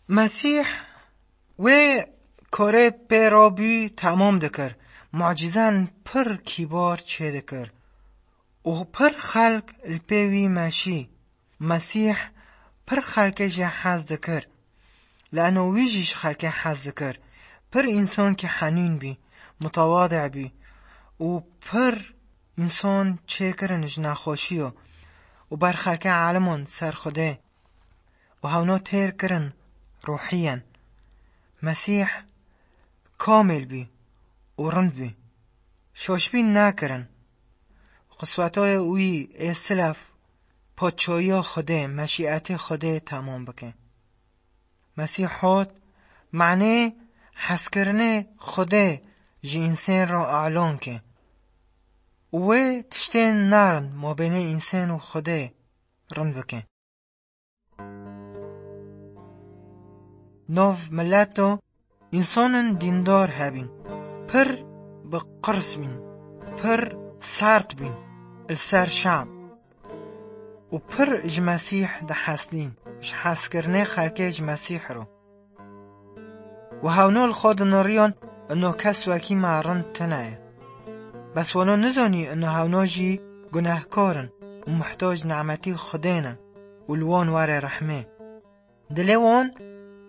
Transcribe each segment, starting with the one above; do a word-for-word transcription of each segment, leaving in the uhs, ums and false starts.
Mesîh wê korê pê rabû temam dikir, mucîzan pir kîbar çêdikir û pir xelk li pê wî meşî. Mesîh pir xelkê jê hez dikir, leno wî jî ji xelkê hez dikir. Pir însankî henîn bî, mutewade bî û pir însan çêkirin ji nexweşiya û ber xelkê elimand ser Xwedê û hewna têr kirin ruhiyen. Mesîh kamêl bî û rind bî. Şaşbîn nekirin. Qiswetayê wî ê silef, paçoya Xwedê, meşîetê Xwedê temam bike. Mesîh hot, manê hezkirinê Xwedê ji însen re alon ke. Wê tiştên narind mabênê însen û Xwedê rind bike. Nov mileto, însanên dîndar hebîn, pir bi qirs bîn, pir sert bîn li ser şam û pir ji Mesîh dihesdîn, ji hezkirinê xelkê ji Mesîh re. Û hewno li xwe diniriyan, ino kes wekî me rind tune ye. Bes wano nizanî ino hewno jî gunehkar in û muhtac nimetî Xwedê ne û li wan were rehmê. Dilê wan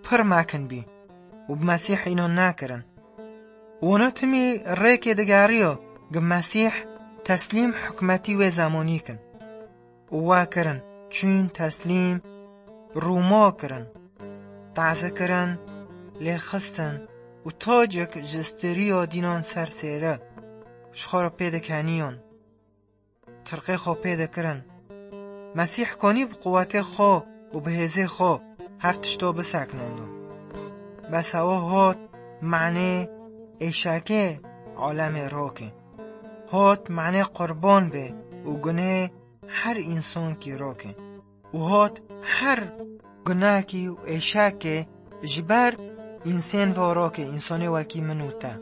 pir mekin bî û bi Mesîh înan nekirin. Wana timî rêkê digeriyo, gi Mesîh teslîm hikmetî wê zemanî kin. Û we kirin, çûn teslîm Rûma kirin, teze kirin, lê xistin û tacek ji stêriya dînan ser sêre ji xwe re pê dikeniyan. Tirqê xwe pê dikirin. Mesîh konî bi quwetê xwe û bi hêzê xwe her tişto biseknando. Bes ewa hot manê êşekê alemê rokê. Hot manê qurban bê û gunê her însankî rokê. Û hot her gunakî û êşekê ji ber însên ve rokê, însonê wekî min û te.